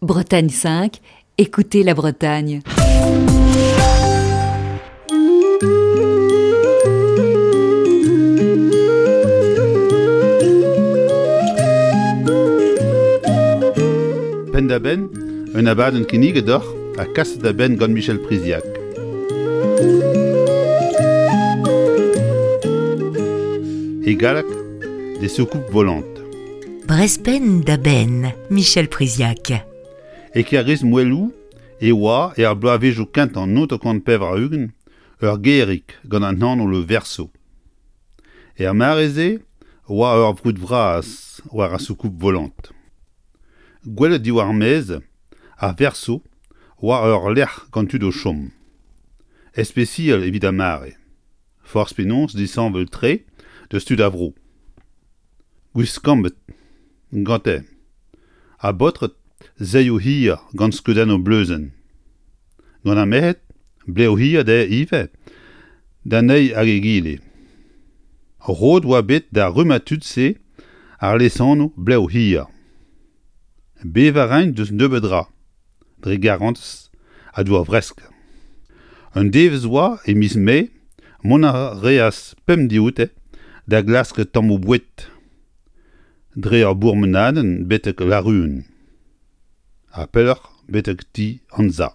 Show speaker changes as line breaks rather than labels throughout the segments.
Bretagne 5, écoutez la Bretagne.
Penn-da-benn, un abadenn kinniget deoc'h ha kaset da benn gant Michel Priziac. E galleg, des soucoupes volantes.
Brezpenn da benn, Michel Priziac.
E Kêr-Iz Moeloù e oa, er bloavezhioù kentañ 1980, ur gêrig gant an anv Le Verso. Er mare-se oa ur vrud vras war ar soucoupe volante. Gwelet diwar maez, ar Verso oa ur lec'h gant tud o chom. Ispisial evit ar mare. Forzh penaos disheñvel-tre deus tud ar vro. Gwiskambet gante ha baotred saeoù hir gant skeudennoù bleuzenn. Gant ar merc'hed blev hir dezhe ivez d'an eil hag egile. Roet oa bet d'ar rummad tud-se ar lesanv blev hir. Bevañ a raint deus nebeut dra, dre garantez ha dour fresk. Un devezh oa e miz Mae, mont a reas pemp dioute da glask tammoù boued dre ur bourmenadenn betek Laruen ha pelloc'h betek ti Anza.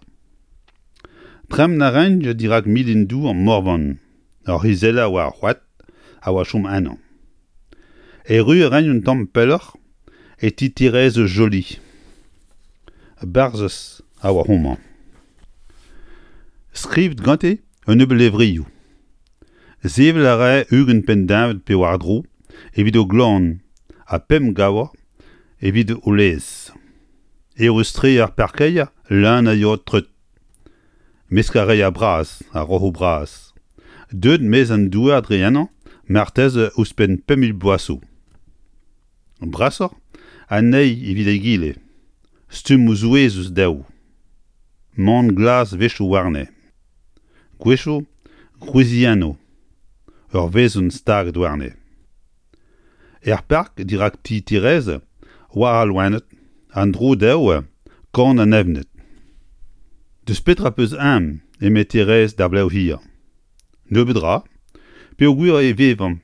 Tremen a raent dirak milin-dour Morvan, ur c'hizeller war ar c'hoad a oa chom ennañ. Erru a raent un tamm pelloc'h e ti Thérèse Joly. Barzhez a oa homañ. Skrivet gante un nebeud levrioù. Sevel a rae 20 penn-deñved pe war-dro evit o gloan ha pemp gavr evit o laezh. Eürus-tre ar parkeier leun a yod treut. Mesk ar reier bras, ar roc'hoù bras. Deuet maez an douar dre ennañ marteze ouzhpenn 5000 bloaz zo. Brasoc'h anezhi evit egile, stummoù souezhus dezho. Man glas 'wechoù warne. Gwechoù gwriziennoù, ur wezenn staget warne. Er park dirak ti Thérèse 'oa al loened, an dro dezho kan an evned. Deus petra 'peus aon eme Thérèse d'ar blev hir. Nebeut 'ra, peogwir e vevomp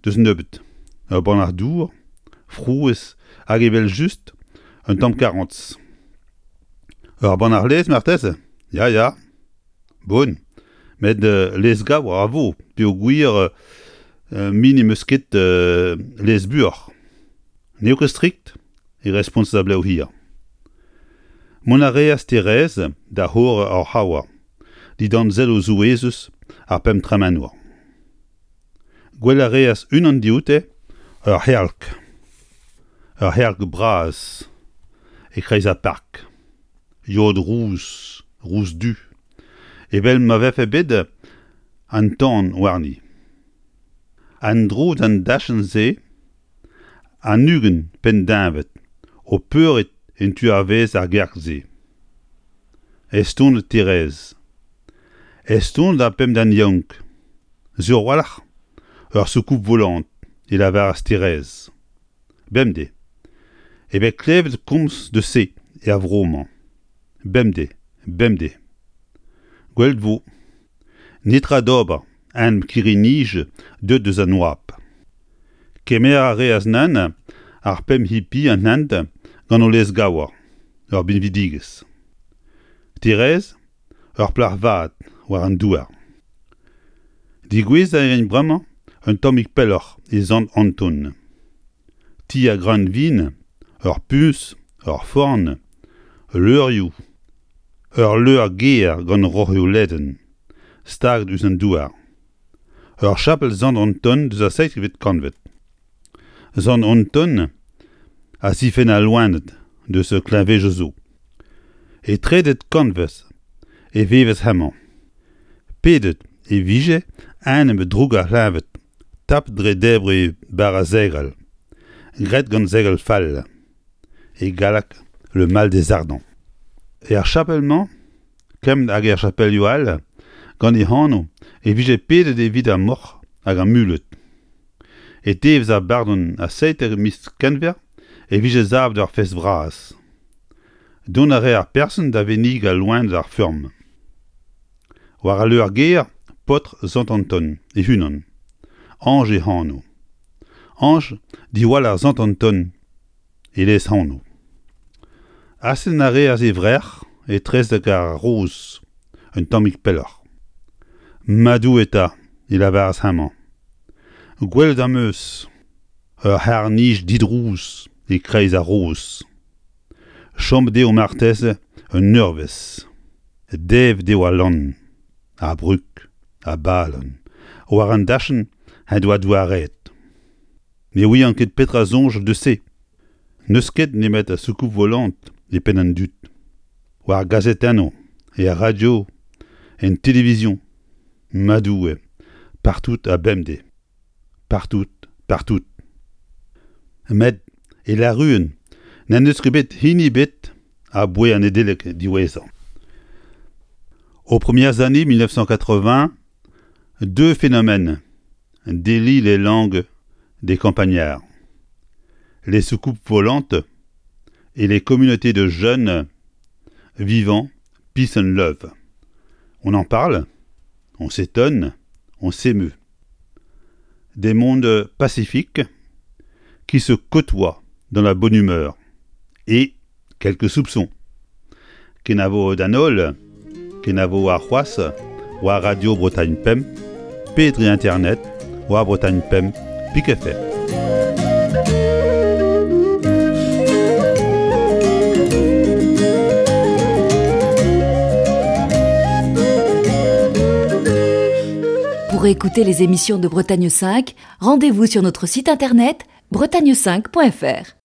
deus nebeut, ur bannac'h dour, frouezh hag evel-just un tamm karantez. Ur bannac'h laezh marteze ? Ya, ya. Bon, met laezh gavr a vo peogwir me n'em eus ket laezh buoc'h. N'eo ket strikt e respontas ar blev hir. Mont a reas Thérèse da c'horre ur c'haour dindan selloù souezhus ar pemp tremenour. Gwel a reas unan dioute ur c'herlk, ur c'herlk bras e-kreiz ar park. Yod rous, rous-du, evel ma vefe bet an tan warni. En-dro d'an dachenn-se, an 20 penn-deñved o peuriñ en tu a-vaez ar gerk-se. Estonet Thérèse. Estonet ar pemp den yaouank. Sur a-walc'h, ur soucoupe volante, e lavaras Thérèse. Bemdez e vez klevet komz deus se er vro-mañ. Bemdez, bemdez. Gwelet 'vo. Netra d'ober, anv kirri-nij deuet deus an oabl. Kemer a reas nann ar pemp hipi an hent gant o lez-gaour, ur binvidigezh. Thérèse, ur plac'h vat war an douar. Degouezhañ a rin bremañ un tammig pelloc'h e Sant Anton. Ti ar greunvin, ur puñs, ur forn, leurioù, ur leur-gêr gant roc'hioù ledan, staget ouzh an douar. Ur chapel Sant Anton deus ar seizhvet kantved. Sant Anton a zifenn al loened deus kleñvedoù zo. E trede kantved e vevas hemañ. Pedet e vije enep droug ar c'hleñved tapet dre debriñ bara segal, graet gant segal fall, e galleg le mal des ardents. Er chapel-mañ, kement hag er chapelioù all, gant e anv e vije pedet evit ar moc'h hag ar muled. E devezh ar bardon ha 17 miz Kenver e vije savet ur fest vras. Dont a rae ar person da vennigañ loened ar feurm. War al leur-gêr, paotr Sant Anton e-unan, Ange e anv. Ange diwall ar Sant Anton e lez-anv. Astenn a reas e vrec'h etrezek ar roz un tammig pelloc'h. Ma Doue 'ta, e lavaras hemañ, gwelet am eus ur c'harr-nij didrouz e-kreiz ar roz. Chomet eo marteze un eurvezh. Devet eo al lann, ar brug, ar balan, war an dachenn en doa douaret. Ne ouian ket petra soñj deus se. N'eus ket nemet soucoupe volante e penn an dud. War gazetennoù, er radio, en televizion. Ma Doue, partout ha bemdez. Partout, partout. Met e Laruen n'en deus ket bet hini ebet aboae an Nedeleg diwezhañ. Aux premières années 1980, deux phénomènes délient les langues des campagnards. Les soucoupes volantes et les communautés de jeunes vivant peace and love. On en parle, on s'étonne, on s'émeut. Des mondes pacifiques qui se côtoient dans la bonne humeur et quelques soupçons. Kenavo d'an holl, kenavo arc'hoazh war Radio Bretagne Pemp pe dre internet war Bretagne Pemp pik fr.
Pour écouter les émissions de Bretagne 5, rendez-vous sur notre site internet bretagne5.fr.